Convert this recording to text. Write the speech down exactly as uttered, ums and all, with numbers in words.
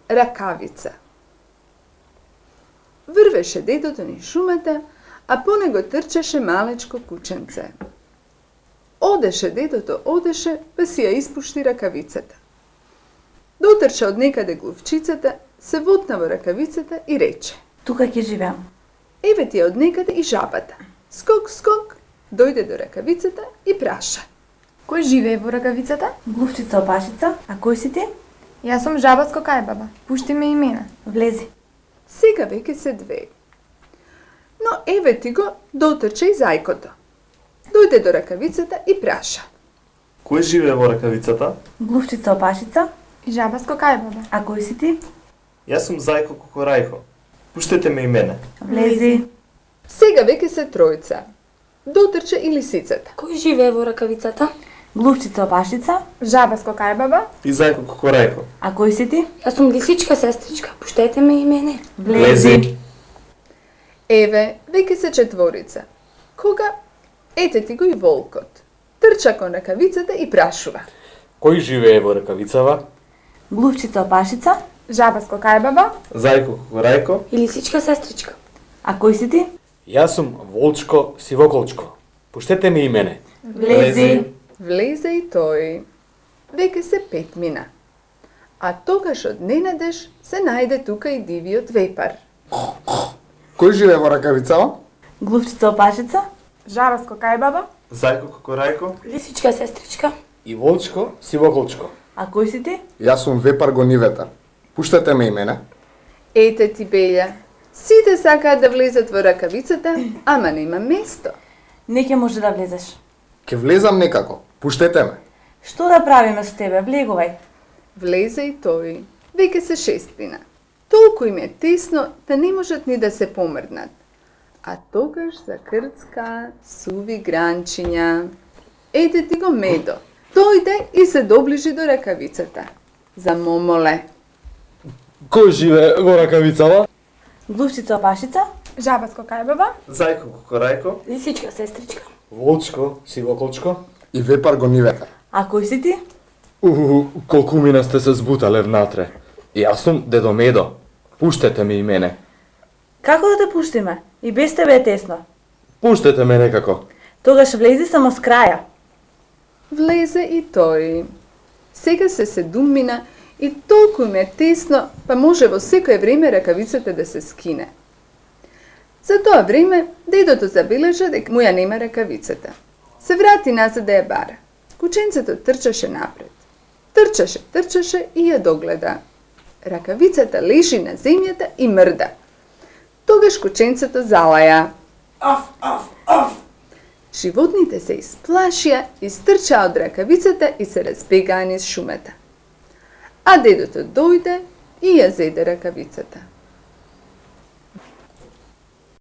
ракавица. Врвеше дедото низ шумата, а по него трчаше малечко кученце. Одеше дедото, одеше, па си ја испушти ракавицата. Дотрча од некаде глувчицата, се вотна во ракавицата и рече: Тука ќе живеам. Еве ти од некаде и жабата. Скок, скок, дојде до ракавицата и праша: Кој живее во ракавицата? Глувчица опашица, а кој си ти? Јас сум жаба скокајбаба. Пушти ме и мене. Влези. Сега веќе се две. Но еве ти го дотрча и зајкото. Дојде до ракавицата и праша: Кој живее во ракавицата? Глувчица опашица, И жаба скокајбаба. а кој си ти? Јас сум Зајко Кокорајко. Пуштете ме и мене. Влези. Сега веќе се тројца. Дотрча и лисицата. Кој живее во ракавицата? Глувчица опашица, Жаба скокајбаба. И Зајко Кокорајко. а кој си ти? Јас сум лисичка сестричка. Пуштете ме и мене. Влези. Еве, веќе се четворица. Кога ете ти го и волкот. Трча кон ракавицата и прашува: Кој живее во ракавицава? Глувчица опашица, Жаба скокајбаба. Зајко Кокорајко. И лисичка сестричка. а кој си ти? Јас сум Волчко Сивоколчко. Пуштете ме и мене. Влези. Влезе и тој. Веќе се пет мина. А тогаш од ненадеж се најде тука и дивиот вепар. Кој живее во ракавицава? Глувчица опашица, Жаба скокајбаба. Зајко Кокорајко. Лисичка сестричка. И Волчко Сивоколчко. а кој си ти? Јас сум вепар гонивета. Пуштете ме и мене. Ете ти, Белја, сите сакаат да влезат во ракавицата, ама нема место. Не ќе може да влезеш. Ке влезам некако. Пуштете ме. Што да правиме со тебе? Влегувај. Влезе и тој. Веќе се шестина. Толку им е тесно да не можат ни да се помрднат. А тогаш закрцка суви гранчиња. Ете ти го Медо. Дојде и се доближи до ракавицата. Замомоле: Кој живее во ракавицава? Глувчица опашица, Жаба скокајбаба. Зајко Кокорајко. Лисичка сестричка. Волчко Сивоколчко. И вепар гонивета. а кој си ти? Уху, колку мина сте се збутале внатре. Јас сум Дедо Медо. Пуштете ме и мене. Како да те пуштиме? И без тебе е тесно. Пуштете ме некако. Тогаш влези само с краја. Влезе и тој. Сега се седуммина и толку им е тесно, па може во секое време ракавицата да се скине. За тоа време, дедото забележа дека му ја нема ракавицата. Се врати назад да ја бара. Кученцето трчаше напред. Трчаше, трчаше и ја догледа. Ракавицата лежи на земјата и мрда. Тогаш кученцето залаја: Оф, оф, оф. Животните се исплашија, истрчаа од ракавицата и се разбегаа низ шумата. А дедото дојде и ја зеде ракавицата.